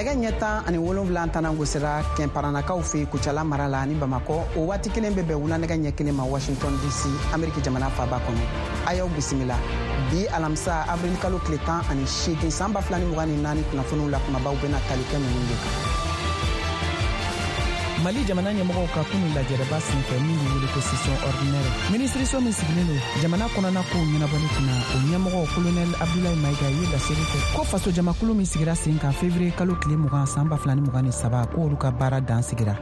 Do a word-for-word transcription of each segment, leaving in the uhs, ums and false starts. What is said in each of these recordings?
Nɛgɛ ɲɛ tan ani wolonwula tanan gosira Kɛnparanakaw fɛ Kucala mara la ani Bamakɔ. O waati kelen bɛ bɛn wula nɛgɛ ɲɛ kelen ma Washington D C, Ameriki jamana faba kɔnɔ. A y'aw bisimila bi alamisa, avril kalo tile tan ani seegin, san ba fila ni mugan ni naani. Kunnafoniw la, kumabaw bɛna tali kɛ ninnu de kan. Mali jamana ɲɛmɔgɔw ka kunu lajɛrɛba senfɛ min be wele ko session ordinaire, minisiriso min sigilen don jamana kɔnɔna kow ɲɛnabɔli kunna, o ɲɛmɔgɔ Kolonɛl Abdulayi Mayiga ye laseli kɛ ko fasojamakulu min sigira sen kan fevriye kalo tile mugan, san ba fila ni mugan ni saba, ko olu ka baara dan sigira.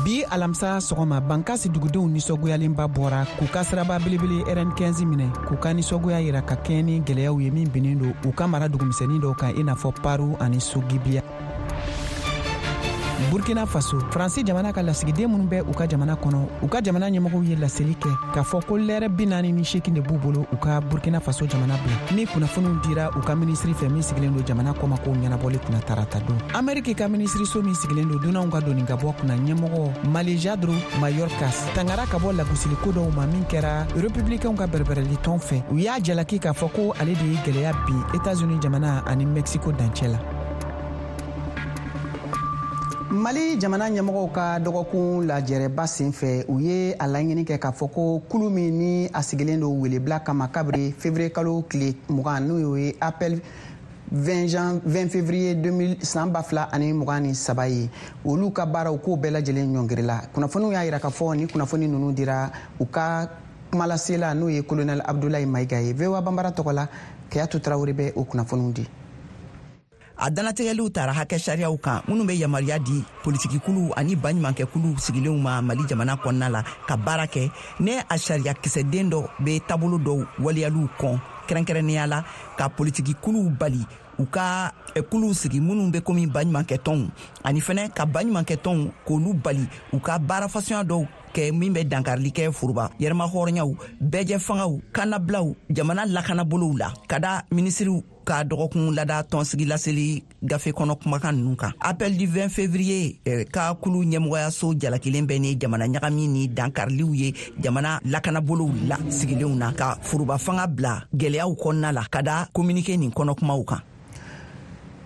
Bi alamisa sɔgɔma, Bankasi dugudenw nisɔngoyalenba bɔra k'u ka siraba belebele R N quinze minɛ k'u ka nisɔngoya yira ka kɛɲɛ ni gwɛlɛyaw ye min binnen don u ka mara dugumisɛnnin dɔw kan, i n'a fɔ Paru ani Sogibiya. Burkina Faso, Faransi jamana ka lasigiden minnu bɛ u ka jamana kɔnɔ, u ka jamana ɲɛmɔgɔw ye laseli kɛ k'a fɔ ko lɛrɛ bi naani ni seegin de b'u bolo u ka Burkina Faso jamana bila, ni kunnafoniw dira u ka minisiri fɛ min sigilen don jamana kɔmakow ɲɛnabɔli kunna tarata don. Ameriki ka minisiriso min sigilen don dunanw ka doni ka bɔ kunna ɲɛmɔgɔ Alejandro Mayorkas tangara ka bɔ lagosiliko dɔw ma min kɛra Republikɛnw ka bɛrɛbɛrɛli fɛ. U y'a jalaki k'a fɔ ko ale de ye gwɛlɛya bin Etats-Unis jamana ani Mexico dancɛ la. Mali jamana ɲɛmɔgɔw ka dɔgɔkun lajɛrɛba sen fɛ, u ye a laɲini kɛ k'a fɔ ko kulu min ni a sigilen don welebila kama kabiri février kalo tile mugan, n'o ye Appel vingt jan vingt février deux mille san ba fila ani mugan ni saba ye, olu ka baaraw k'o bɛɛ lajɛlen ɲɔngirila. Kunnafoniw y'a yira k'a fɔ ni kunnafoni ninnu dira u ka kumalasela, n'o ye Colonel Abdulayi Mayiga ye. V O A Banbara tɔgɔ la, Kayatu Tarawele bɛ o kunnafoniw di. A dannatigɛliw tara hakɛ sariyaw kan minnu bɛ yamaruya di politikikuluw ani baɲumankɛkuluw sigilenw ma Mali jamana kɔnɔna la ka baara kɛ, ne a sariya kisɛden dɔ bɛ taabolo dɔw waleyaliw kɔn, kɛrɛnkɛrɛnnenya la ka politikikuluw bali u ka kuluw sigi minnu bɛ komi baɲumankɛtɔnw, ani fɛnɛ ka baɲumankɛtɔnw k'olu bali u ka baara fasuya dɔw kɛ min bɛ dankarili kɛ foroba yɛrɛma hɔrɔnyaw, bɛɛjɛ fangaw, kannabilaw, jamana lakanabolow la, ka da minisiriw ka dɔgɔkun lada tɔnsigi laseli gafe kɔnɔ kumakan nunu kan. Appel du vingt février eh, ka kulu ɲɛmɔgɔyaso jalakilen bɛ ni jamana ɲagami ni dankariliw ye jamana lakanabolow la sigilenw na, ka foroba fanga bila gwɛlɛyaw kɔnɔna la, ka da communiqué nin kɔnɔ kumaw kan.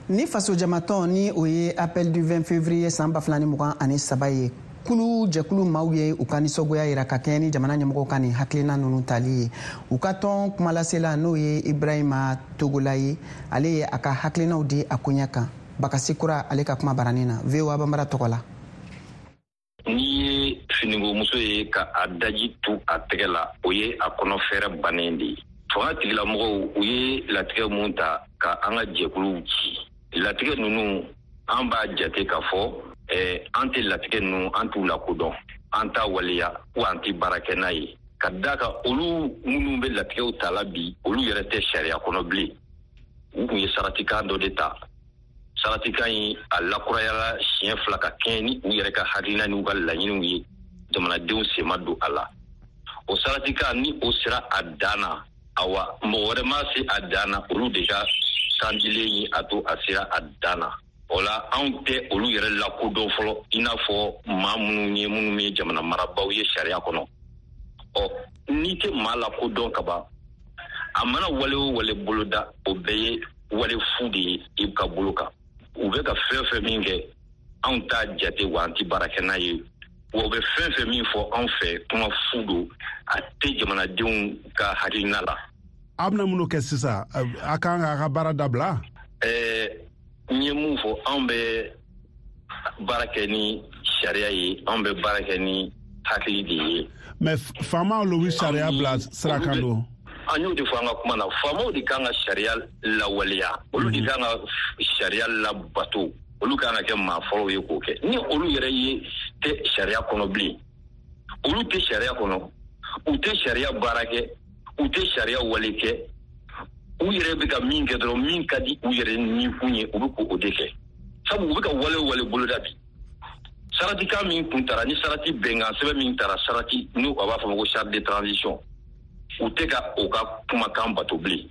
Ni fasojamatɔn ni o ye Appel du vingt février san ba fila ni mugan ani saba ye, kulu jɛkulu maaw ye u ka nisɔngoya yira ka kɛɲɛ ni jamana ɲɛmɔgɔw ka nin hakilina ninnu tali ye. U ka tɔn kumalasela, n'o ye Ibrahima Togola ye, ale ye a ka hakilinaw di a koɲɛ kan. Bakasi Kura, ale ka kuma baranin na V O A Banbara tɔgɔ la. N'i ye finikomuso ye ka a daji tu a tɛgɛ la, o ye a kɔnɔ fɛrɛ bannen de ye. Fanga tigilamɔgɔw, u ye latigɛ mun ta ka an ka jɛkuluw ci, latigɛ ninnu, an b'a jate k'a fɔ eh, an tɛ latigɛ ninnu, an t'u lakodɔn, an t'a waleya wa an tɛ baara kɛ n'a ye, ka da kan olu minnu bɛ latigɛw ta la bi, olu yɛrɛ tɛ sariya kɔnɔ bilen. U kun ye saratikan dɔ de ta. Saratikan in, a lakurayala siɲɛ fila ka kɛɲɛ ni u yɛrɛ ka hakilina n'u ka laɲiniw ye. Jamanadenw sen ma don a la. O saratikan ni o sera a dan na, awa, mɔgɔ wɛrɛ ma se a dan na, olu de ka kandilen ye a to a sera a dan na. O la, anw tɛ olu yɛrɛ lakodɔn fɔlɔ i n'a fɔ maa minnu ye, minnu ye jamana marabaw ye sariya kɔnɔ. Ɔ, n'i tɛ maa lakodɔn ka ban, a mana wale o wale boloda, o bɛɛ ye wale fu de ye i ka bolo kan. U bɛ ka fɛn fɛn min kɛ, anw t'a jate wa an tɛ baara kɛ n'a ye. Wa u bɛ fɛn fɛn min fɔ anw fɛ, kuma fu don, a tɛ jamanadenw ka hakilina la. A bɛna minnu kɛ sisan, a kan k'a ka baara dabila? Ɛɛ, n ye mun fɔ? Anw bɛ baara kɛ ni sariya ye, anw bɛ baara kɛ ni hakili de ye. Mais faamaw lo bɛ sariya bila sira kan don. An y'o de fɔ an ka kuma na. Faamaw de kan ka sariya lawaleya, olu de kan ka sariya labato, olu kan ka kɛ maa fɔlɔw ye k'o kɛ. Ni olu yɛrɛ ye tɛ sariya kɔnɔ bilen, olu tɛ sariya kɔnɔ, u tɛ sariya baara kɛ, u tɛ sariya wale kɛ, u yɛrɛ bɛ ka min kɛ dɔrɔn, min ka di u yɛrɛ nikun ye, u bɛ k'o de kɛ. Sabu u bɛ ka wale o wale boloda bi, saratikan min kun tara ni sarati bɛnkan sɛbɛn min tara, sarati n'u a b'a fɔ ma ko charte de transition, u tɛ ka o ka kumakan bato bilen.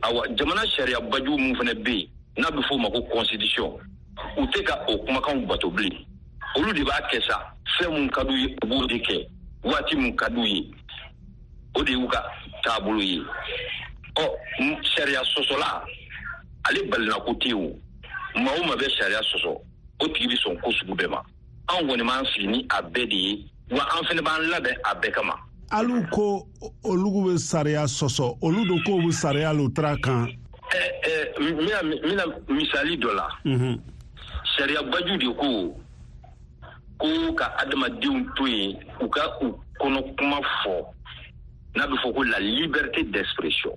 Awa, jamana sariya baju mun fana bɛ yen n'a bɛ f'o ma ko constitution, u tɛ ka o kumakanw bato bilen. Olu de b'a kɛ sa, fɛn mun ka d'u ye, u b'o de kɛ waati mun ka d'u ye, o de y'u ka taabolo ye. Ɔ, sariya sɔsɔla, Ale balinako tɛ yen o. Maa o maa bɛ sariya sɔsɔ, o tigi bɛ sɔn ko sugu bɛɛ ma. Anw kɔni b'an sigi ni a bɛɛ de ye, wa an fana b'an labɛn a bɛɛ kama. Alu ko olu bɛ sariya sɔsɔ, olu do k'o bɛ sariya lo tara kan. Ɛ ɛ n bɛna n bɛna misali dɔ la. Sariya baju de ko ko ka adamadenw to yen u ka u kɔnɔ kuma fɔ, n'a bɛ fɔ ko la liberté d'expression.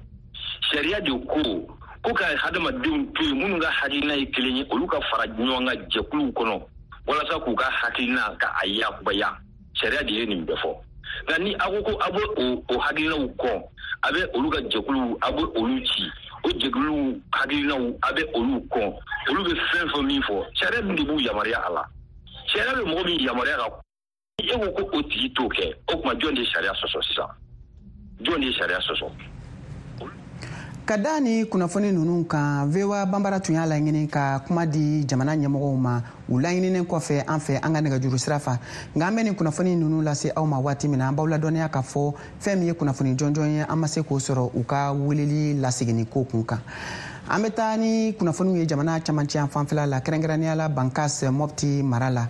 Sariya de ko ko ka hadamadenw to yen minnu ka hakilina ye kelen ye, olu ka fara ɲɔgɔn kan jɛkuluw kɔnɔ walasa k'u ka hakilina ka a yakubaya. Sariya de ye nin bɛɛ fɔ. Nka ni aw ko ko aw bɛ o o hakilinaw kɔn, a bɛ olu ka jɛkuluw, a bɛ olu ci, o jɛkuluw hakilinaw a bɛ olu kɔn, olu bɛ fɛn fɛn min fɔ, sariya dun de b'u yamaruya a la. Sariya bɛ mɔgɔ min yamaruya ka, e ko ko o tigi t'o kɛ, o tuma jɔn de ye sariya sɔsɔ sisan? Jɔn de ye sariya sɔsɔ? Ka da ni kunnafoni ninnu kan, V O A Banbara tun y'a laɲini ka kuma di jamana ɲɛmɔgɔw ma. U laɲininen kɔfɛ an fɛ an ka nɛgɛjuru sira fa, nka an bɛ nin kunnafoni ninnu lase aw ma waati min na, an b'aw ladɔnniya k'a fɔ fɛn min ye kunnafoni jɔnjɔn ye, an ma se k'o sɔrɔ u ka weleli laseginni ko kun kan. An bɛ taa ni kunnafoniw ye jamana camancɛ yan fanfɛla la, kɛrɛnkɛrɛnnenya la Bankas Mɔpti mara la.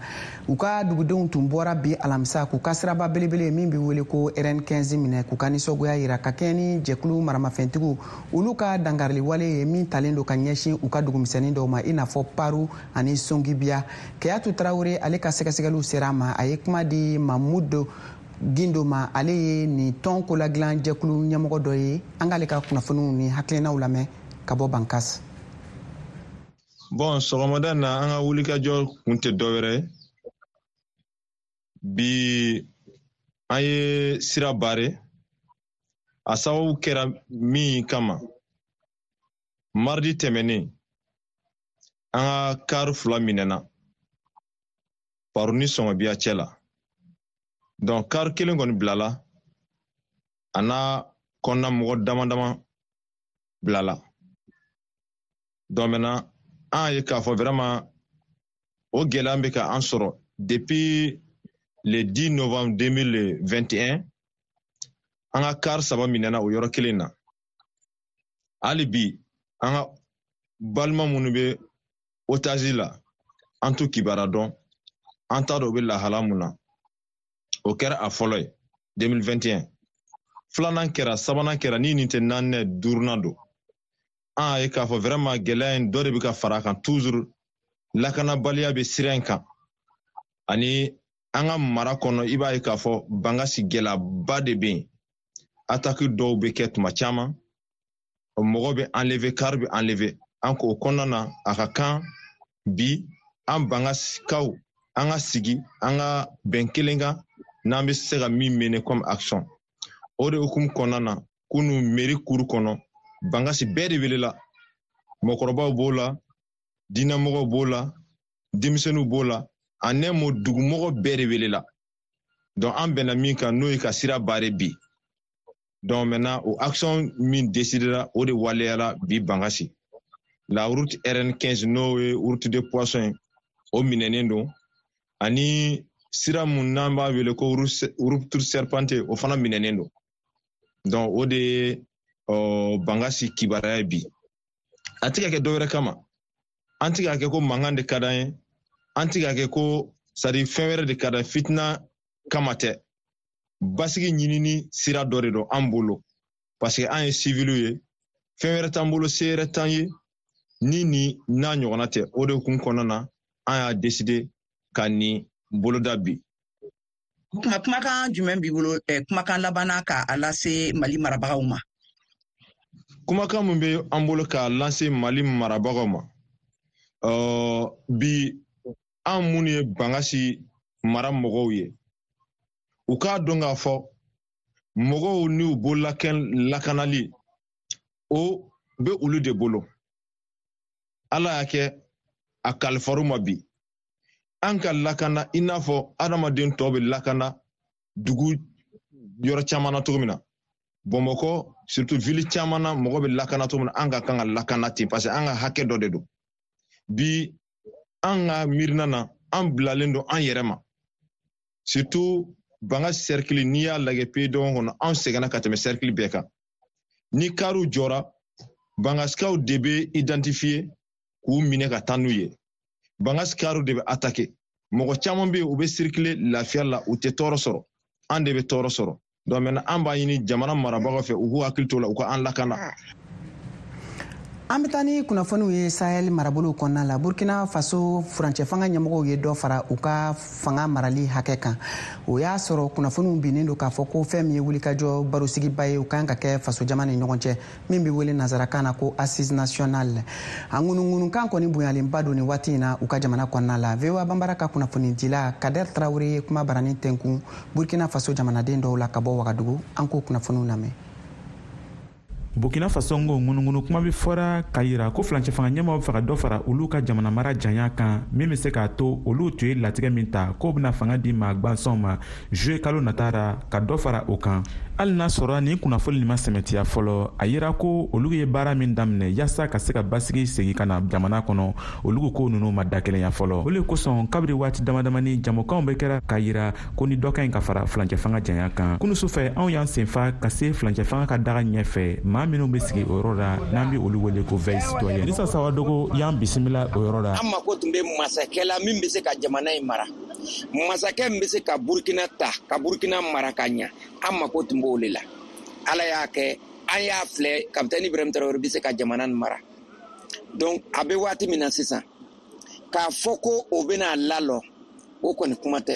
U ka dugudenw tun bɔra bi alamisa k'u ka siraba belebele min bɛ wele ko R N quinze minɛ, k'u ka nisɔngoya yira ka kɛɲɛ ni jɛkulu maramafɛntigiw olu ka dankarili wale ye min talen don ka ɲɛsin u ka dugumisɛnnin dɔw ma, i n'a fɔ Paru ani Songibiya. Keyatu Tarawele, ale ka sɛgɛsɛgɛliw sera a ma. A ye kuma di Mamudu Gindo ma, ale ye nin tɔn koladilan jɛkulu ɲɛmɔgɔ dɔ ye. An k'ale ka kunnafoniw ni hakilinaw lamɛn ka bɔ Bankas. Bon, sɔgɔmada na, an ka wulikajɔ kun tɛ dɔwɛrɛ ye. Bi, an ye sira bare. A sababu kɛra min kama, mardi tɛmɛnen, an ka kari fila minɛna Paru ni Sɔngɔbiya cɛ la. Donc kari kelen kɔni bilala, a n'a kɔnɔna mɔgɔ dama dama bilala. Donc maintenant, an ye k'a fɔ vraiment o gɛlɛya bɛ ka an sɔrɔ depuis le dix novembre deux mille vingt et un. An ka kari saba minɛna o yɔrɔ kelen na. Hali bi, an ka balima minnu bɛ otage la, an t'u kibaruya dɔn, an t'a dɔn u bɛ lahala mun na. O kɛra a fɔlɔ ye deux mille vingt et un. Filanan kɛra, sabanan kɛra, ni nin tɛ naaninan, duurunan don. An y'a ye k'a fɔ vraiment gɛlɛya in dɔ de bɛ ka fara a kan toujours. Lakanabaliya bɛ sira in kan ani an ka mara kɔnɔ. I b'a ye k'a fɔ Bankasi gɛlɛyaba de bɛ yen. Attaque dɔw bɛ kɛ tuma caman, mɔgɔ bɛ enlever, car bɛ enlever. An k'o kɔnɔna na, a ka kan bi an Bankasikaw an ka sigi, an ka bɛn kelen kan n'an bɛ se ka min mener comme action. O de hukumu kɔnɔna na, kunu mairie cour kɔnɔ, Bankasi bɛɛ de welela. Mɔgɔkɔrɔbaw b'o la, diinɛmɔgɔw b'o la, denmisɛnninw b'o la, en un mot, dugumɔgɔ bɛɛ de welela. Donc an bɛnna min kan, n'o ye ka sira bare bi. Donc maintenant, o action min décidera, o de waleyara bi Bankasi. La route R N quinze, n'o ye route de poisson ye, o minɛnen don, ani sira mun n'an b'a wele ko route serpentée, o fana minɛnen don. Donc o de ye ɔ Bankasi kibaruya ye bi. A tɛ ka kɛ dɔwɛrɛ kama, an tɛ k'a kɛ ko mankan de ka d'an ye, an tɛ k'a kɛ ko c'est à dire fɛn wɛrɛ de ka d'an ye, fitina kama tɛ. Basigi ɲinini sira dɔ de don an bolo, parce que an ye civiliw ye, fɛn wɛrɛ t'an bolo, se wɛrɛ t'an ye ni ni n'a ɲɔgɔnna tɛ. O de kun kɔnɔna na, an y'a décider ka nin boloda bi. Kuma kumakan jumɛn b'i bolo, eh, kumakan labanna ka a lase Mali marabagaw ma? Kumakan min bɛ an bolo k'a lase Mali marabagaw ma, uh, bi, an minnu ye Bankasi mara mɔgɔw ye, u k'a dɔn k'a fɔ mɔgɔw n'u bololakɛn lakanali, o bɛ olu de bolo. Ala y'a kɛ a kalifar'u ma bi an ka lakana i n'a fɔ adamaden tɔw bɛ lakana dugu yɔrɔ caman na cogo min na. Bamakɔ surtout, ville caman na, mɔgɔ bɛ lakana cogo min na, an ka kan ka lakana ten, parce que an ka hakɛ dɔ de don. Bi, an ka miirina na, an bilalen don an yɛrɛ ma, surtout Banga cercle. N'i y'a lajɛ pays dɔgɔn kɔnɔ, anw sɛgɛnna ka tɛmɛ cercle bɛɛ kan. Ni kariw jɔra, Bangasikaw de bɛ identifier k'u minɛ ka taa n'u ye. Bangasikaw de bɛ attaquer. Mɔgɔ caman bɛ yen, u bɛ circuler lafiya la, u tɛ tɔɔrɔ sɔrɔ. An de bɛ tɔɔrɔ sɔrɔ. Donc maintenant an b'a ɲini jamana marabagaw fɛ, u k'u hakili to la, u ka an lakana. An bɛ taa ni kunnafoniw ye Sahel marabolow kɔnɔna la. Burkina Faso furancɛ fanga ɲɛmɔgɔw ye dɔ fara u ka fanga marali hakɛ kan. O y'a sɔrɔ kunnafoniw binnen don k'a fɔ ko fɛn min ye wulikajɔ barosigiba ye, o kan ka kɛ fasojama ni ɲɔgɔn cɛ, min bɛ wele nansarakan na ko assise nationale. A ŋunuŋunukan kɔni bonyalenba don nin waati in na u ka jamana kɔnɔna la. V O A Banbara ka kunnafonidila Kader Traoré ye kuma barani tɛnkun Burkina Faso jamanaden dɔw la ka bɔ Wagadugu. An k'o kunnafoniw lamɛn. Burkina Faso ngo ŋunuŋunu kuma bɛ fɔra k'a yira ko furancɛ fanga ɲɛmaaw bɛ fɛ ka dɔ fara olu ka jamana mara janya kan, min bɛ se k'a to olu tun ye latigɛ min ta k'o bɛna fanga di maa gwansanw ma juillet kalo nata ra, ka dɔ fara o kan. Hali n'a sɔrɔ nin kunnafoni nin ma sɛmɛtiya fɔlɔ, a yira ko olu ye baara min daminɛ yaasa ka se ka basigi segin ka na jamana kɔnɔ, olu ko ninnu ma dakelenya fɔlɔ. O le kosɔn kabiri waati damadamani jamukanw bɛ kɛra k'a yira ko ni dɔ ka ɲi ka fara furancɛ fanga janya kan. Kunu sufɛ anw y'an senfa ka se furancɛ fanga ka daga ɲɛfɛ, maa minnu bɛ sigi o yɔrɔ la n'an bɛ olu wele ko veille citoyenne. Lisa Sawadogo y'an bisimila o yɔrɔ la. An mako tun bɛ masakɛ la min bɛ se ka jamana in mara, masakɛ min bɛ se ka Burkina ta ka Burkina mara ka ɲa, an mako tun b'o de la. Ala y'a kɛ an y'a filɛ kapitɛni Ibrahim Traoré bɛ se ka jamana in mara. Donc a bɛ waati min na sisan, k'a fɔ ko o bɛna lalɔ, o kɔni kuma tɛ.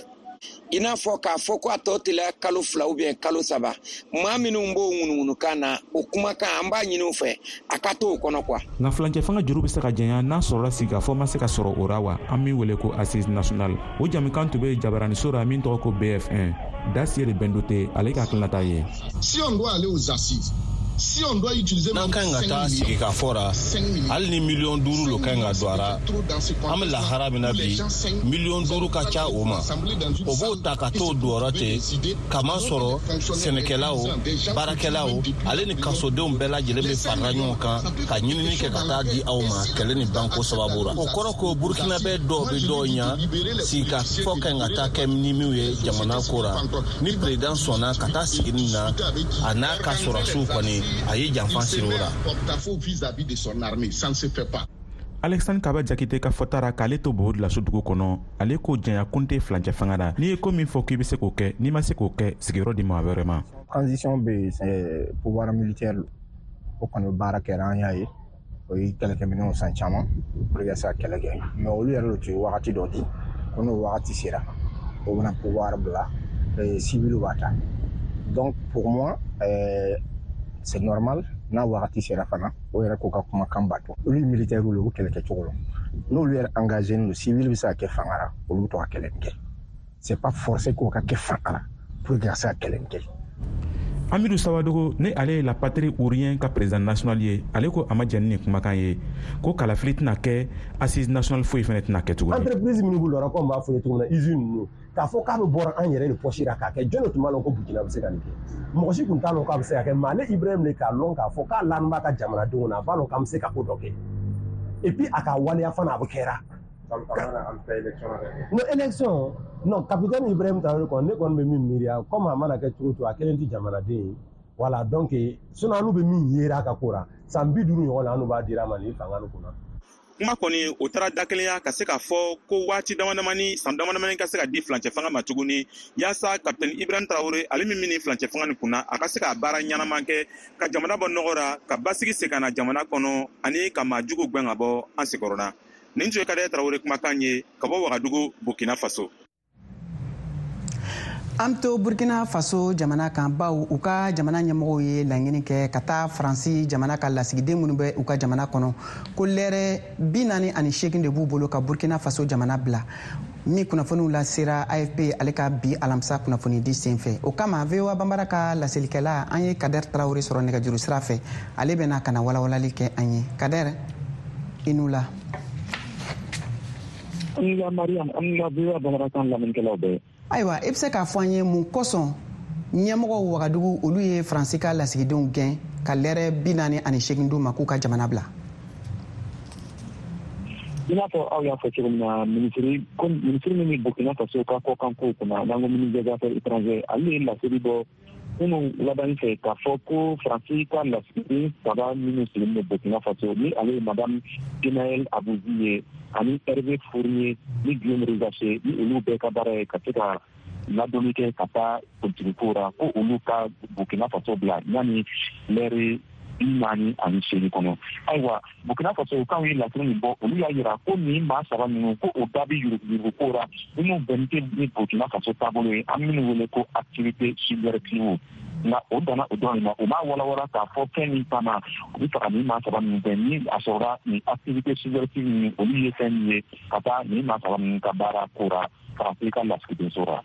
I n'a fɔ k'a fɔ ko a tɔ teliya kalo fila ou bien kalo saba, maa minnu b'o ŋunuŋunukan na, o kumakan an b'a ɲini u fɛ a ka to o kɔnɔ quoi. Nka furancɛ fanga juru bɛ se ka janya n'a sɔrɔla sigikafɔ ma se ka sɔrɔ o ra wa, an min wele ko assise nationale. O jamukan tun bɛ jabaraniso ra min tɔgɔ ko B F un. Dasier de Bendote, ale ka hakilinata ye. Si on doit aller aux assises, si on doit utiliser n'an ka ɲi ka taa sigikafɔ ra, hali ni miliyɔn duuru lo ka ɲi ka don a ra, an bɛ lahara min na bi, miliyɔn duuru ka ca o ma. O b'o ta ka t'o don yɔrɔ ten, kamasɔrɔ sɛnɛkɛlaw, baarakɛlaw, ale ni kasodenw bɛɛ lajɛlen bɛ farala ɲɔgɔn kan ka ɲinini kɛ ka taa di aw ma kɛlɛ ni banko sababu ra. O kɔrɔ ko Burkinabɛ dɔw bɛ dɔw ɲa, sigikafɔ ka ɲi ka taa kɛ ni minnu ye jamana ko ra. Ni président sɔnna ka taa sigini na, a n'a ka sɔrɔsiw kɔni a ye janfa siri o la. Alexandre Kaba Jakite ka fɔta ra k'ale to Bobo Dioulasso dugu kɔnɔ, ale ko janya kun tɛ furancɛ fanga la. N'i ye ko min fɔ k'i bɛ se k'o kɛ, n'i ma se k'o kɛ, sigiyɔrɔ di maa wɛrɛ ma. Transition bɛ yen, pouvoir militaire o kɔni baara kɛra, an y'a ye, o ye kɛlɛkɛminɛnw san caman pour que ka se ka kɛlɛ kɛ, mais olu yɛrɛ de tun ye wagati dɔ di ko n'o wagati sera, o bɛna pouvoir bila, civil b'a ta. Donc pour moi, euh, c'est normal, n'a wagati sera fana, o yɛrɛ k'o ka kumakan bato. Olu ye militaire ye, u kɛlɛ kɛcogo la, n'olu yɛrɛ engagé don, civil bɛ se ka kɛ fanga la, olu bɛ to ka kɛlɛ kɛ. C'est pas forcé k'o ka kɛ fanga la pour que ka se ka kɛlɛ kɛ. Amidou Sawadogo, ni ale ye la patrie ou rien ka président national ye, ale ko a ma jɛn ni nin kumakan ye, ko kalafili tɛna kɛ, assise nationale foyi fɛnɛ tɛna kɛ tuguni. Entreprise minnu b'u lɔra, komi n b'a fɔ ye cogo min na, usine ninnu, k'a fɔ k'a bɛ bɔra an yɛrɛ de poche la k'a kɛ, jɔn de tun b'a lɔn ko Burkina bɛ se ka nin kɛ? Mɔgɔ si tun t'a lɔn k'a bɛ se ka kɛ, mais ale Ibrahim de k'a lɔn k'a fɔ k'a lani b'a ka jamanadenw na, a b'a lɔn k'an bɛ se ka ko dɔ kɛ. Et puis a ka waleya fana a bɛ kɛra. Non, élection, non, capitaine Ibrahim Traoré kɔni, ne kɔni bɛ min miiriya, comme a mana kɛ cogo o cogo, a kelen tɛ jamanaden ye. Voilà, donc sinon an bɛ min yera a ka ko la, san bi duuru ɲɔgɔn na an b'a dira a ma nin fanga nin kunna. Kuma kɔni o taara dakelenya ka se k'a fɔ ko waati damadamani, san damadamani ka se ka di furancɛ fanga ma tuguni, yaasa kapitɛni Ibrahim Traoré, ale min min furancɛ fanga nin kunna, a ka se ka baara ɲɛnama kɛ ka jamana bɔ nɔgɔ ra, ka basigi segin ka na jamana kɔnɔ, ani ka maa jugu gɛn ka bɔ an senkɔrɔla. Nin tun ye Kader Traoré kumakan ye ka bɔ Wagadugu, Burkina Faso. An bɛ to Burkina Faso jamana kan, baw u ka jamana ɲɛmɔgɔw ye laɲini kɛ ka taa Faransi jamana ka lasigiden minnu bɛ u ka jamana kɔnɔ, ko lɛrɛ bi naani ani seegin de b'u bolo ka Burkina Faso jamana bila. Min kunnafoniw lasera A F P ale ka bi alamisa kunnafonidi senfɛ. O kama V O A Banbara ka laselikɛla an ye Kader Traoré sɔrɔ nɛgɛjuru sira fɛ, ale bɛna ka na walawalali kɛ an ye. Kader, i n'u la. An la Mariam, an la V O A Banbara kan lamɛnnikɛlaw bɛɛ. Ayiwa, i bɛ se k'a fɔ an ye mun kosɔn ɲɛmɔgɔw Wagadugu olu ye Faransi ka lasigidenw gɛn ka lɛrɛ bi naani ani seegin d'u ma k'u ka jamana bila? I n'a fɔ aw y'a fɔ cogo min na, minisiri min bɛ Burkina Faso ka kɔkankow kunna, n'an ko ministre des affaires étrangères, ale ye laseli bɔ Kunun wulada fɛ k'a fɔ ko Faransi ka lasigiden saba minnu sigilen bɛ Burkina Faso, ni ale ye Madame Genaël Abbouzi ye, ani Hervé Fournier ni Guillaume Rizaché, ni olu bɛɛ ka baara ye ka se ka ladonni kɛ ka taa politikiko ra, ko olu ka Burkina Faso bila yanni lɛri bi naani ani seegin kɔnɔ. Ayiwa, Burkina Faso kanw ye lasiri min bɔ, olu y'a yira ko nin maa saba ninnu, ko o da bɛ yuruguyurugu ko ra minnu bɛnnen tɛ ni Burkina Faso taabolo ye, an minnu wele ko activité subversive. Nka o danna o dɔrɔn de ma, o m'a walawala k'a fɔ fɛn min kama u bɛ fɛ ka nin maa saba ninnu bɛn ni a sɔrɔla nin activité subversive ninnu, olu ye fɛn min ye ka taa nin maa saba ninnu ka baara ko ra Faransi ka lasigidenso ra.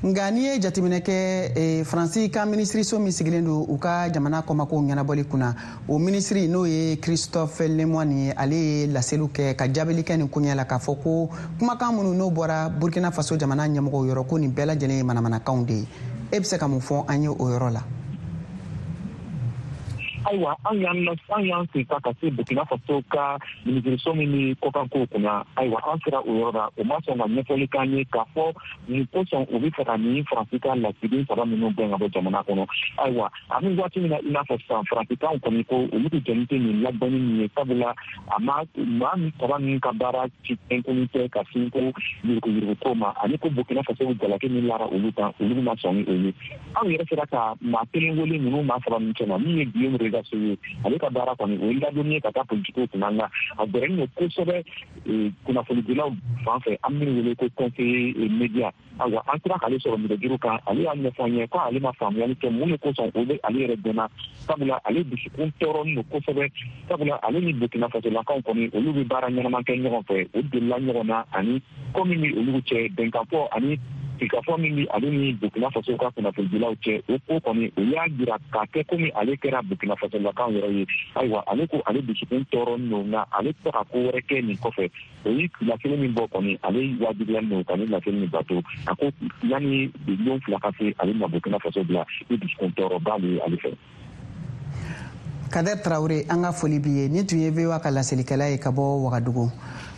Nka n'i ye jateminɛ kɛ, Faransi ka minisiriso min sigilen don u ka jamana kɔmakow ɲɛnabɔli kunna, o minisiri n'o ye Christophe Lemoine ye, ale ye laseliw kɛ ka jaabili kɛ nin koɲɛ la k'a fɔ ko kumakan minnu n'o bɔra Burkina Faso jamana ɲɛmɔgɔw yɔrɔ, ko nin bɛɛ lajɛlen ye manamanakanw de ye. E bɛ se ka mun fɔ an ye o yɔrɔ la? Ayiwa, an y'an an y'an sen ta ka se Burkina Faso ka minisiriso min ni kɔkankow kunna. Ayiwa, an sera o yɔrɔ la, o ma sɔn ka ɲɛfɔli k'an ye k'a fɔ nin kosɔn u bɛ fɛ ka nin Faransi ka lasigiden saba minnu gɛn ka bɔ jamana kɔnɔ. Ayiwa, ani waati min na, i n'a fɔ sisan, Faransikanw kɔni ko olu tɛ jɛni tɛ nin ladɔnni min ye, sabula a ma maa min saba ninnu ka baara ci fɛn tɛ ka sin ko yuruguyurugu ko ma, ani ko Burkina Faso jalaki min lara olu kan, olu ma sɔn ni o ye. Anw yɛrɛ sera ka maa kelen wele ninnu maa saba ninnu cɛma, min ye Guillaume Rizaché, ale ka baara kɔni o ye ladonni ye ka taa politikiw kunna, nka a gɛrɛlen don kosɛbɛ kunnafonidilaw fan fɛ, an minnu wele ko conseiller média. Ayiwa, an sera k'ale sɔrɔ nɛgɛjuru kan, ale y'a ɲɛfɔ an ye ko ale ma faamuyali kɛ mun de kosɔn o bɛ ale yɛrɛ dɛmɛ, sabula ale dusukun tɔɔrɔlen don kosɛbɛ, sabula ale ni Burkina Fasolakaw kɔni olu bɛ baara ɲɛnama kɛ ɲɔgɔn fɛ, u delila ɲɔgɔn na, ani ko min bɛ olu cɛ bɛnkanfɔ ani sigikafɔ min bɛ ale ni Burkina Faso ka kunnafonidilaw cɛ, o ko kɔni o y'a jira k'a kɛ komi ale kɛra Burkina Fasolakaw yɛrɛ ye. Ayiwa, ale ko ale dusukun tɔɔrɔlen don, nka ale tɛ ka ko wɛrɛ kɛ nin kɔfɛ. O ye laseli min bɔ kɔni, ale wajibiyalen don ka nin laseli min bato. A ko yanni lon fila ka se, ale ma Burkina Faso bila ni dusukun tɔɔrɔba de ye ale fɛ. Kader Traoré, an ka foli b'i ye. Nin tun ye V O A ka laselikɛla ye ka bɔ Wagadugu.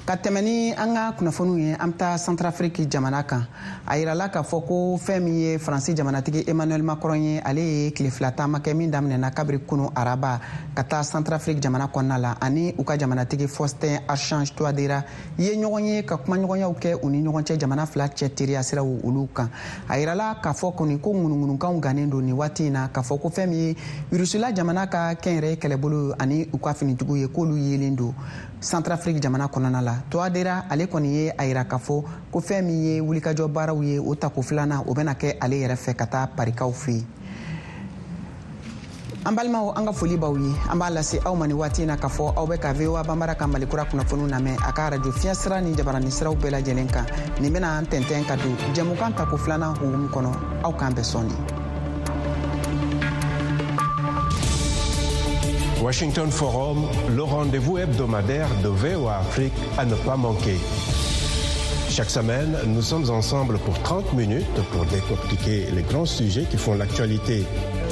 Ka tɛmɛ ni an ka kunnafoniw ye, an bɛ taa Centrafrique jamana kan. A yirala k'a fɔ ko fɛn min ye Faransi jamanatigi Emmanuel Macron ye, ale ye tile fila taama kɛ min daminɛna kabiri kunu araba ka taa Centrafrique jamana kɔnɔna la, ani u ka jamanatigi Faustin Archange Touadéra ye ɲɔgɔn ye ka kumaɲɔgɔnyaw kɛ u ni ɲɔgɔn cɛ jamana fila cɛ teriya siraw olu kan. A yirala k'a fɔ kɔni ko ŋunuŋunukanw gannen don nin waati in na k'a fɔ ko fɛn min ye Rusila jamana ka kɛnyɛrɛye kɛlɛbolo ani u ka finitigiw ye, k'olu yelen don Centrafrique jamana kɔnɔna la. Touadéra ale kɔni ye a yira k'a fɔ ko fɛn min ye wulikajɔ baaraw ye, o tako filanan o bɛna kɛ ale yɛrɛ fɛ ka taa Parikaw fɛ yen. An balimaw, an ka foli b'aw ye. An b'a lase aw ma nin waati in na k'a fɔ aw bɛ ka V O A Banbara ka Malikura kunnafoniw lamɛn a ka arajo fiɲɛ sira ni jabarani siraw bɛɛ lajɛlen kan. Nin bɛna an tɛntɛn ka don jɛmukan tako filanan hukumu kɔnɔ. Aw k'an bɛn sɔɔni. Washington Forum, le rendez-vous hebdomadaire de V O A Afrique à ne pas manquer. Chaque semaine, nous sommes ensemble pour trente minutes pour décortiquer les grands sujets qui font l'actualité.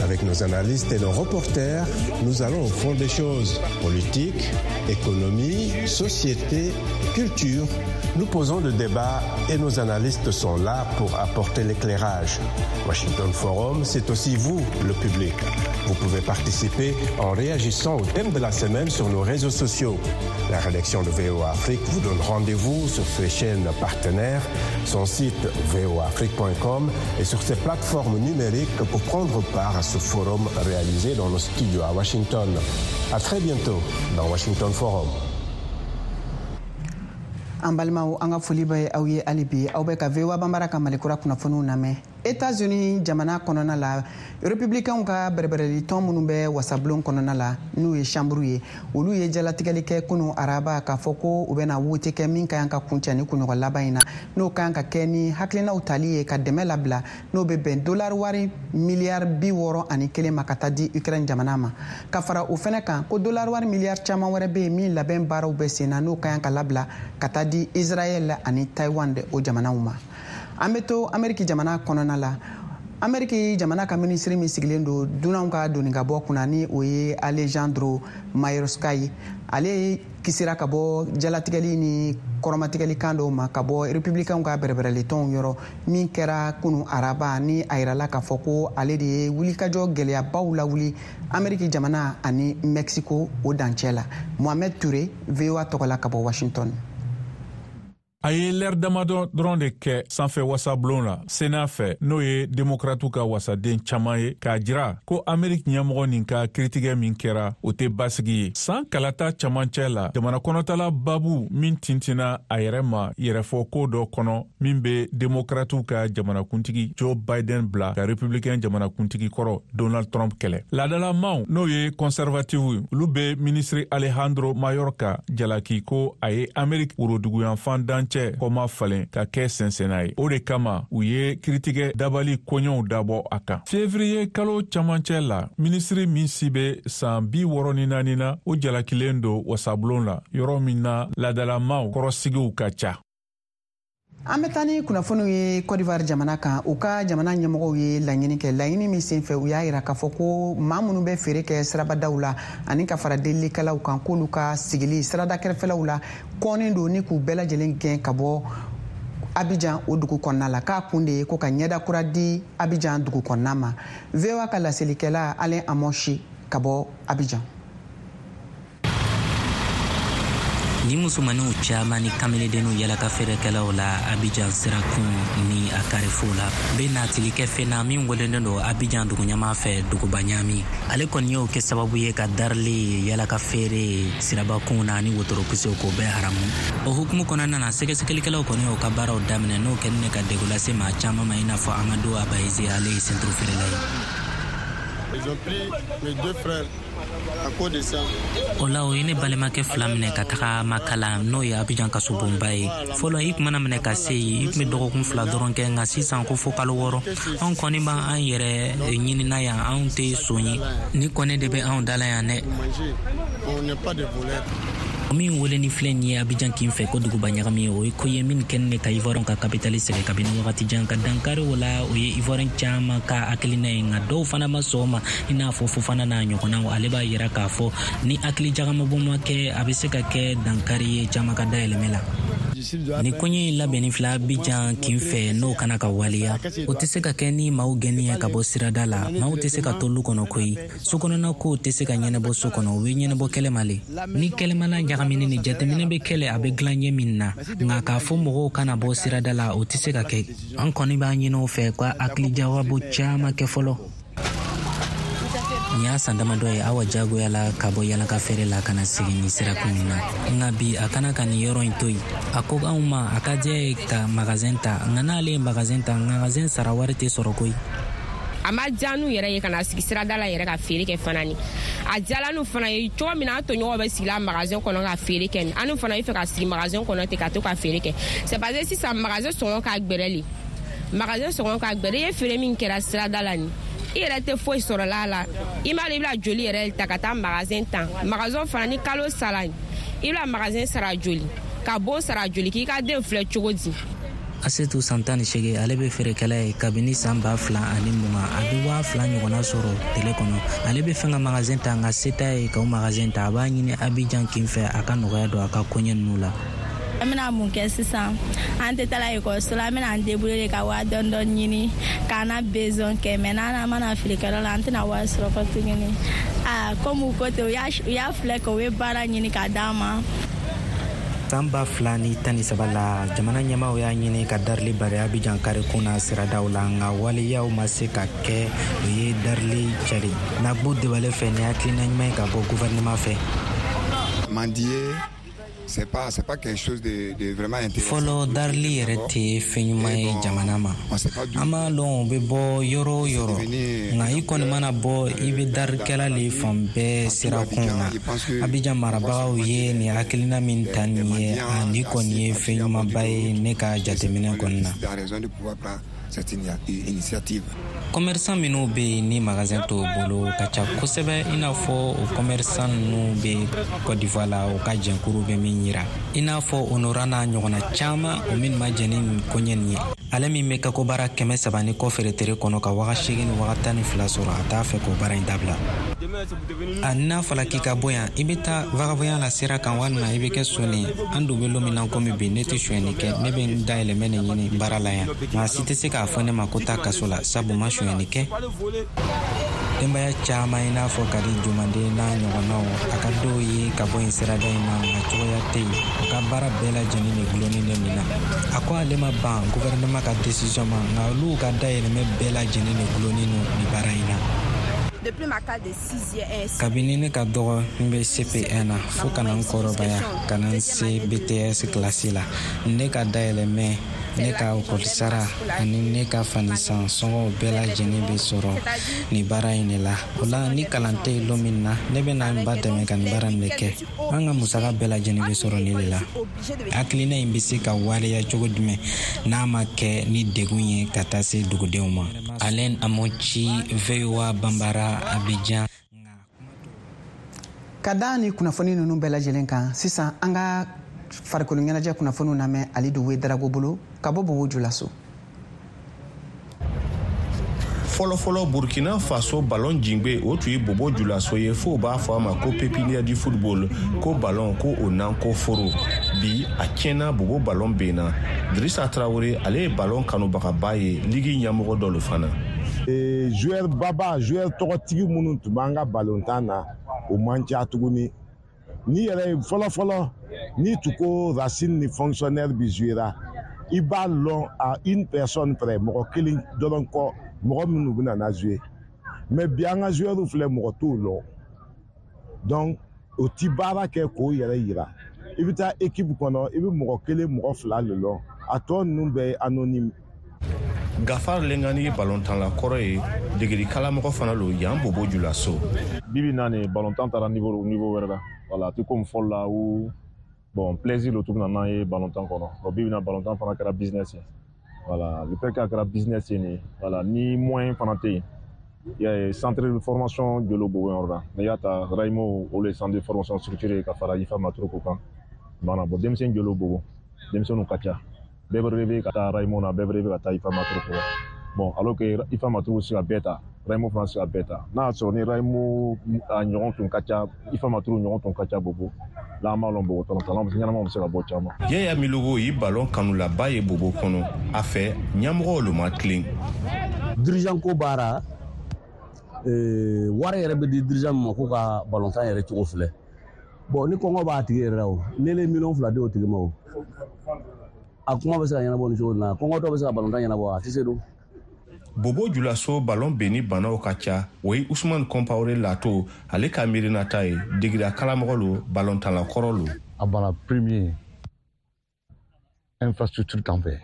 Avec nos analystes et nos reporters, nous allons au fond des choses. Politique, économie, société, culture. Nous posons le débat et nos analystes sont là pour apporter l'éclairage. Washington Forum, c'est aussi vous, le public. Vous pouvez participer en réagissant au thème de la semaine sur nos réseaux sociaux. La rédaction de V O A Afrique vous donne rendez-vous sur ses chaînes partenaires, son site v o a afrique point com et sur ses plateformes numériques pour prendre part à ce forum réalisé dans nos studios à Washington. À très bientôt dans Washington Forum. An balimaw, an ka foli bɛ aw ye hali bi. Aw bɛ ka V O A Banbara ka Malikura kunnafoniw lamɛn. États-Unis jamana kɔnɔna la, républicains ka bɛrɛbɛrɛli tɔn minnu bɛ wasabulon kɔnɔna la, n'u ye chambre ye, olu ye jalatigɛli kɛ kunu araba k'a fɔ ko u bɛna wote kɛ min ka kan ka kuncɛ ni kunɲɔgɔn laban in na, n'o ka kan ka kɛ ni hakilinaw tali ye ka dɛmɛ labila n'o bɛ bɛn dollar wari miliyari bi wɔɔrɔ ani kelen ma ka taa di Ukraine jamana ma. Ka fara o fɛnɛ kan, ko dollar wari miliyari caman wɛrɛ bɛ yen min labɛn baaraw bɛ sen na, n'o ka kan ka labila ka taa di Israël ani Taïwan de o jamanaw ma. An bɛ to Ameriki jamana kɔnɔna la. Ameriki jamana ka minisiri min sigilen don dunanw ka doni ka bɔ kunna ni o ye Alejandro Mayorkas ye, ale kisira ka bɔ jalatigɛli ni kɔrɔmatigɛli kan dɔw ma ka bɔ republicainw ka bɛrɛbɛrɛlitɔnw yɔrɔ min kɛra kunu araba, ni a yirala k'a fɔ ko ale de ye wulikajɔ gɛlɛyabaw lawuli Ameriki jamana ani Mexico o dancɛ la. Mohamed Touré, V O A tɔgɔ la ka bɔ Washington. A ye lɛri damadɔ dɔrɔn de kɛ sanfɛ wasabulon la Sénat fɛ, n'o ye demokratiw ka wasaden caman ye, k'a jira ko Ameriki ɲɛmɔgɔ nin ka kiritigɛ min kɛra, o tɛ basigi ye. San kalata camancɛ la, jamana kɔnɔtala babu min tintinna a yɛrɛ ma yɛrɛfɔ ko dɔ kɔnɔ min bɛ demokratiw ka jamanakuntigi Joe Biden bila ka republicain jamanakuntigi kɔrɔ Donald Trump kɛlɛ. Laadalamaw, n'o ye conservative, olu bɛ minisiri Alejandro Mayorkas jalaki ko a ye Ameriki woroduguyanfan dancɛ kɔma falen ka kɛ sɛnsɛnna ye. O de kama u ye kiritigɛ dabali koɲɛw dabɔ a kan. Février kalo camancɛ la, minisiri min si bɛ san bi wɔɔrɔ ni naani na, o jalakilen don wasabulon la, yɔrɔ min na laadalamaw kɔrɔsigiw ka ca. An bɛ taa ni kunnafoniw ye Côte d'Ivoire jamana kan. U ka jamana ɲɛmɔgɔw ye laɲini kɛ, laɲini min senfɛ u y'a yira k'a fɔ ko maa minnu bɛ feere kɛ sirabadaw la ani ka fara delilikɛlaw kan, k'olu ka sigili sirada kɛrɛfɛlaw la kɔnnen don ni k'u bɛɛ lajɛlen gɛn ka bɔ Abidjan o dugu kɔnɔna la, k'a kun de ye ko ka ɲɛda kura di Abidjan dugu kɔnɔna ma. V O A ka laselikɛla Alain Amoshi ka bɔ Abidjan. Ni musomaninw caman ni kameledenninw yala ka feerekɛlaw la Abidjan sirakun ni a karifo la bɛ natili kɛ fɛn na min welelen don Abidjan duguɲɛmaa fɛ duguba ɲaami. Ale kɔni y'o kɛ sababu ye ka darili yala ka feere sirabakun na ani wotorokisew k'o bɛɛ haramu. O hukumu kɔnɔna na, sɛgɛsɛgɛlikɛlaw kɔni y'o ka baaraw daminɛ, n'o kɛlen ne ka degun lase maa caman ma, i n'a fɔ Amadu Abayize, ale ye senturu feerela ye. Ils ont pris mes deux frères à cause de ça. O la, o ye ne balimakɛ fila minɛ ka taga Makala, n'o ye Abidjan kasobonba ye. Fɔlɔ, i tun mana minɛ ka se yen, i tun bɛ dɔgɔkun fila dɔrɔn kɛ, nka sisan ko fo kalo wɔɔrɔ. Anw kɔni b'an yɛrɛ ɲinina yan, anw tɛ son ye. Ni kɔni de bɛ anw da la yan dɛ. Min wele ni filɛ nin ye Abidjan kin fɛ ko duguba ɲagami ye, o ye ko ye min kɛlen ne ka Ivoirien ka kapitali sɛgɛn kabini wagati jan. Ka dankari o la, o ye Ivoirien caman ka hakilina ye, nka dɔw fana ma sɔn o ma, i n'a fɔ Fofana n'a ɲɔgɔnnaw. Ale b'a yira k'a fɔ ni hakili jagamabɔ ma kɛ, a bɛ se ka kɛ dankari ye caman ka dayɛlɛmɛ la. Ni koɲɛ in labɛnni filɛ Abidjan kin fɛ, n'o kana ka waleya, o tɛ se ka kɛ ni maaw gɛnni ye ka bɔ sirada la. Maaw tɛ se ka to lu kɔnɔ koyi. So kɔnɔna kow tɛ se ka ɲɛnabɔ so kɔnɔ, o bɛ ɲɛnabɔ kɛlɛma le. Ni kɛlɛmana ɲagamini ni jateminɛ bɛ kɛlɛ, a bɛ dilan ɲɛ min na, nka k'a fɔ mɔgɔw kana bɔ sirada la, o tɛ se ka kɛ. An kɔni b'a ɲini o fɛ ka hakilijagabɔ caman kɛ fɔlɔ. Nin y'a san damadɔ ye Awa jagoya la ka bɔ yalaka feere la ka na sigi nin sirakun in na, nka bi a kana ka nin yɔrɔ in to yen. A ko anw ma a ka diya ye ka magazɛn ta, nka n'ale ye magazɛn ta, magazɛn sara wari tɛ sɔrɔ koyi. A ma diya n'u yɛrɛ ye ka na sigi sirada la yɛrɛ ka feere kɛ fana ni. A diyala n'u fana ye cogo min na, an tɔɲɔgɔnw bɛ sigi la magazɛn kɔnɔ ka feere kɛ, an n'u fana bɛ fɛ ka sigi magazɛn kɔnɔ ten ka to ka feere kɛ. C'est parce que sisan magazɛn sɔngɔ ka gbɛrɛ le. Magazɛn sɔngɔ ka gbɛrɛ, i ye feere min kɛra sirada la nin, i yɛrɛ tɛ foyi sɔrɔ la la. I m'a dɔn i bɛna joli yɛrɛ ta ka taa magazɛn ta. Magazɛn fana ni kalo sara, i bɛna magazɛn sara joli, ka bon sara joli, k'i ka den filɛ cogo di. Asetu san tan ni seegin, ale bɛ feerekɛla ye kabini san ba fila ani mugan. A bɛ waa fila ɲɔgɔnna sɔrɔ tele kɔnɔ. Ale bɛ fɛn ka magazɛn ta, nka se t'a ye ka o magazɛn ta. A b'a ɲini Abidjan kin fɛ a ka nɔgɔya don a ka koɲɛ ninnu la. An bɛna mun kɛ sisan? An tɛ taa ekɔliso la, an bɛna an débrouiller ka waa dɔɔni dɔɔni ɲini k'an na besoin kɛ, mais n'an mana feerekɛyɔrɔ la, an tɛna wari sɔrɔ kɔ tuguni. Aa, komi u ko ten, u y'a filɛ kɛ u ye baara ɲini k'a d'an ma. San ba fila ni tan ni saba la, jamana ɲɛmaaw y'a ɲini ka darili bari Abidjan karikun na siradaw la, nka waleyaw ma se ka kɛ. O ye darili cari Nagbo Debale fɛ ni hakilina ɲuman ye ka bɔ gouvernement fɛ. Mendier, c'est pas c'est pas quelque chose de de vraiment intéressant. Fɔlɔ, darili yɛrɛ tɛ fɛn ɲuman ye jamana ma. An b'a lɔn o bɛ bɔ yɔrɔ o yɔrɔ, nka i kɔni mana bɔ, i bɛ darikɛla le fan bɛɛ sirakun na. Abidjan marabagaw ye nin hakilina min ta nin ye, a nin kɔni ye fɛn ɲumanba ye ne ka jateminɛ kɔni na. cette initiative. Commerçant minnu bɛ yen ni magasin t'o bolo ka ca kosɛbɛ, i n'a fɔ o commerçant ninnu bɛ Côte d'Ivoire la, o ka jɛnkuru bɛ min yira, i n'a fɔ Honora n'a ɲɔgɔnna caman, o min ma jɛn ni nin koɲɛ nin ye. Ale min bɛ kako baara kɛmɛ saba ni kɔ feere tere kɔnɔ ka waga seegin ni waga tan ni fila sɔrɔ, a t'a fɛ k'o baara in dabila. A n'a fɔla k'i ka bɔ yan, i bɛ taa vagabond la sira kan walima i bɛ kɛ soni ye. An dun bɛ don min na komi bi, ne tɛ sonyɛni kɛ, ne bɛ n dayɛlɛmɛ de ɲini baara la yan. Maa si tɛ se k'a fɔ ne ma ko taa kaso la, sabu ma sonyɛni kɛ. Denbaya caman i n'a fɔ Kadi Jumanden n'a ɲɔgɔnnaw, a ka dɔw ye ka bɔ yen sirada in na, nka cogoya tɛ yen. U ka baara bɛɛ lajɛlen de gulonnen bɛ nin na. A ko ale ma ban gouvernement ka décision ma, nka olu ka dayɛlɛmɛ bɛɛ lajɛlen de gulonnen don nin baara in na. Kabini ne ka dɔgɔ, n bɛ C P un na fo ka na n kɔrɔbaya ka na n se B T S kilasi la, ne ka dayɛlɛmɛ, ne ka ekɔli ani ne ka fanisan sɔngɔw bɛɛ lajɛlen bɛ sɔrɔ nin baara in de la. O la ni kalan tɛ yen don min na, ne bɛ na n ba dɛmɛ ka nin baara in de kɛ. An ka musaka bɛɛ lajɛlen bɛ sɔrɔ nin de la. Hakilina in bɛ se ka waleya cogo jumɛn n'a ma kɛ ni degun ye ka taa se dugudenw ma? Alain Amochi, V O A Bambara, Abidjan. Ka da ni kunnafoni ninnu bɛɛ lajɛlen kan, sisan an ka farikolo ɲɛnajɛ kunnafoniw lamɛn Alidu Wedarago bolo ka bɔ Bobo Julaso. Fɔlɔfɔlɔ Burkina Faso ballon jingbe o tun ye Bobo Julaso ye, fo b'a fɔ a ma ko pépinière du football, ko ballon ko o nan ko foro. Bi a tiɲɛna, Bobo ballon benna. Drissa Traoré, ale ye ballon kanubagaba ye, ligue ɲɛmɔgɔ dɔ lo fana. Ee, joueur baba, joueur tɔgɔtigi minnu tun b'an ka ballontan na, o man ca tuguni. Ni yɛrɛ ye fɔlɔ-fɔlɔ, n'i tun ko Racine ni fonctionnaire bi jouera, i b'a lɔn à une personne près, mɔgɔ kelen dɔrɔn kɔ, mɔgɔ minnu bɛna na jouer. Mais bi an ka joueur filɛ, mɔgɔ t'o lɔn. Donc o ti baara kɛ k'o yɛrɛ yira. I bɛ taa équipe kɔnɔ, i bɛ mɔgɔ kelen, mɔgɔ fila de lɔn, a tɔ ninnu bɛɛ ye anonyme. Gafar Lengani ye balontanla kɔrɔ ye, degeli kalamɔgɔ fana lo yan Bobo Julaso. Bibi na nin balontan taara niveau niveau wɛrɛ la. Voilà, a tɛ komi fɔlɔ la où bon plaisir lo tun bɛ na n'an ye balontan kɔnɔ. Bon bibi na balontan fana kɛra business ye. Voilà, le fait k'a kɛra business ye nin, voilà, ni moyen fana tɛ yen. I y'a ye, centre de formation jolo Bobo yɔrɔ la. N'i y'a ta Raimo, olu ye centre de formation structuré ka fara Ifa Matroko kan. Voilà, bon denmisɛnnin jolo Bobo, denmisɛnninw ka ca. Bɛɛ bɛ rêver ka taa Raimo na, bɛɛ bɛ rêver ka taa Ifa Matroko la. Bon, alors que Ifa Matroko se ka bɛɛ ta, Raimo fana se ka bɛɛ ta. N'a y'a sɔrɔ ni Raimo a ɲɔgɔn tun ka ca, Ifa Matroko ɲɔgɔn tun ka ca Bobo la, an b'a lɔn Bobo tɔnɔ ɲɛnamaw bɛ se ka bɔ caman. Yaya Milogo ye ballon kanulaba ye Bobo kɔnɔ. A fɛ ɲɛmɔgɔw lo ma tilen. Dirigeant ko baara, wari yɛrɛ bɛ di dirigeant min ma k'u ka balontan yɛrɛ cogo filɛ. Bon ni kɔngɔ b'a tigi yɛrɛ la o, ne le miliyɔn fila di o tigi ma o, a kuma bɛ se ka ɲɛnabɔ nin cogo in na, kɔngɔtɔ bɛ se ka balontan ɲɛnabɔ, a tɛ se don. Bobo Julaso ballon benni banaw ka ca. O ye Usman Compaoré Lato, ale ka miirinata ye, degera kalamɔgɔ lo, balontanla kɔrɔ lo. A bana premier infrastructure t'an fɛ,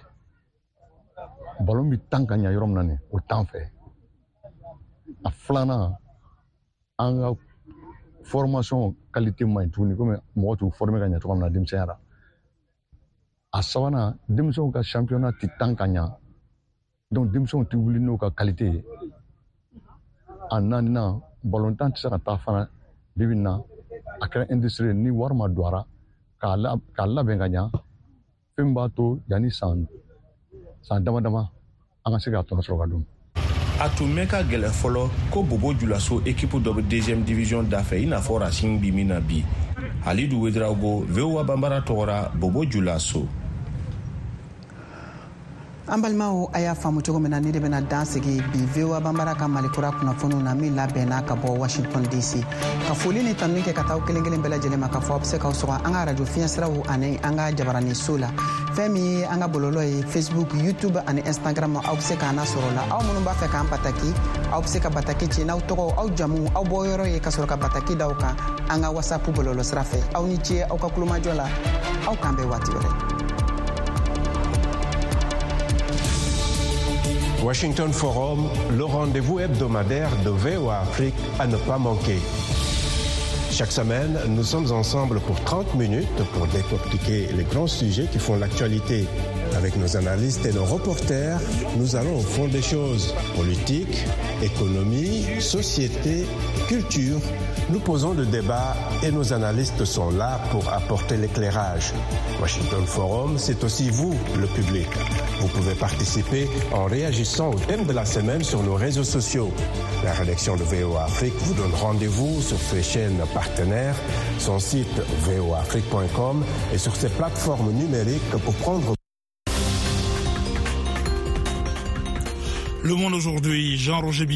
ballon bɛ tan ka ɲa yɔrɔ min na nin, o t'an fɛ. A filanan, an ka formation qualité man ɲi tuguni, komi mɔgɔ t'u former ka ɲa cogo min na denmisɛnya la. A sabanan, denmisɛnw ka championnat tɛ tan ka ɲa, donc denmisɛnw tɛ wuli n'u ka qualité ye. A naaninan, balontan tɛ se ka taa fana bibi in na, a kɛra industrie ye, ni wari ma don a la k'a labɛn ka ɲa, fɛn min b'a to yanni san san dama dama an ka se k'a tɔnɔ sɔrɔ ka dun. A tun mɛn ka gɛlɛn fɔlɔ ko Bobo Julaso équipe dɔ bɛ deuxième division dafɛ, i n'a fɔ Racine bi min na bi. Alidu Wedraogo, V O A Bambara tɔgɔra, Bobo Julaso. An balimaw, a y'a faamu cogo min na, ne de bɛna dan sigi bi V O A Bambara ka Malikura kunnafoniw na min labɛnna ka bɔ Washington D C. Ka foli ni tanuni kɛ ka taa aw kelen kelen bɛɛ lajɛlen ma, k'a fɔ aw bɛ se k'aw sɔgɔ an ka arajo fiɲɛsiraw ani an ka jabaranin so la. Fɛn min ye an ka bɔlɔlɔ ye, Facebook, YouTube ani Instagram, aw bɛ se k'an lasɔrɔ la. Aw minnu b'a fɛ k'an bataki, aw bɛ se ka bataki ci n'aw tɔgɔ, aw jamu, aw bɔyɔrɔ ye, ka sɔrɔ ka bataki da aw kan an ka WhatsApp bɔlɔlɔ sira fɛ. Aw ni ce aw ka kulomajɔ la, aw k'an bɛn waati wɛrɛ. Washington Forum, le rendez-vous hebdomadaire de V O A Afrique à ne pas manquer. Chaque semaine, nous sommes ensemble pour trente minutes pour décortiquer les grands sujets qui font l'actualité. Avec nos analystes et nos reporters, nous allons au fond des choses. Politique, économie, société, culture. Nous posons le débat et nos analystes sont là pour apporter l'éclairage. Washington Forum, c'est aussi vous, le public. Vous pouvez participer en réagissant au thème de la semaine sur nos réseaux sociaux. La rédaction de V O A Afrique vous donne rendez-vous sur ses chaînes partenaires, son site v o a afrique point com et sur ses plateformes numériques pour prendre. Le Monde aujourd'hui, Jean-Roger Billon.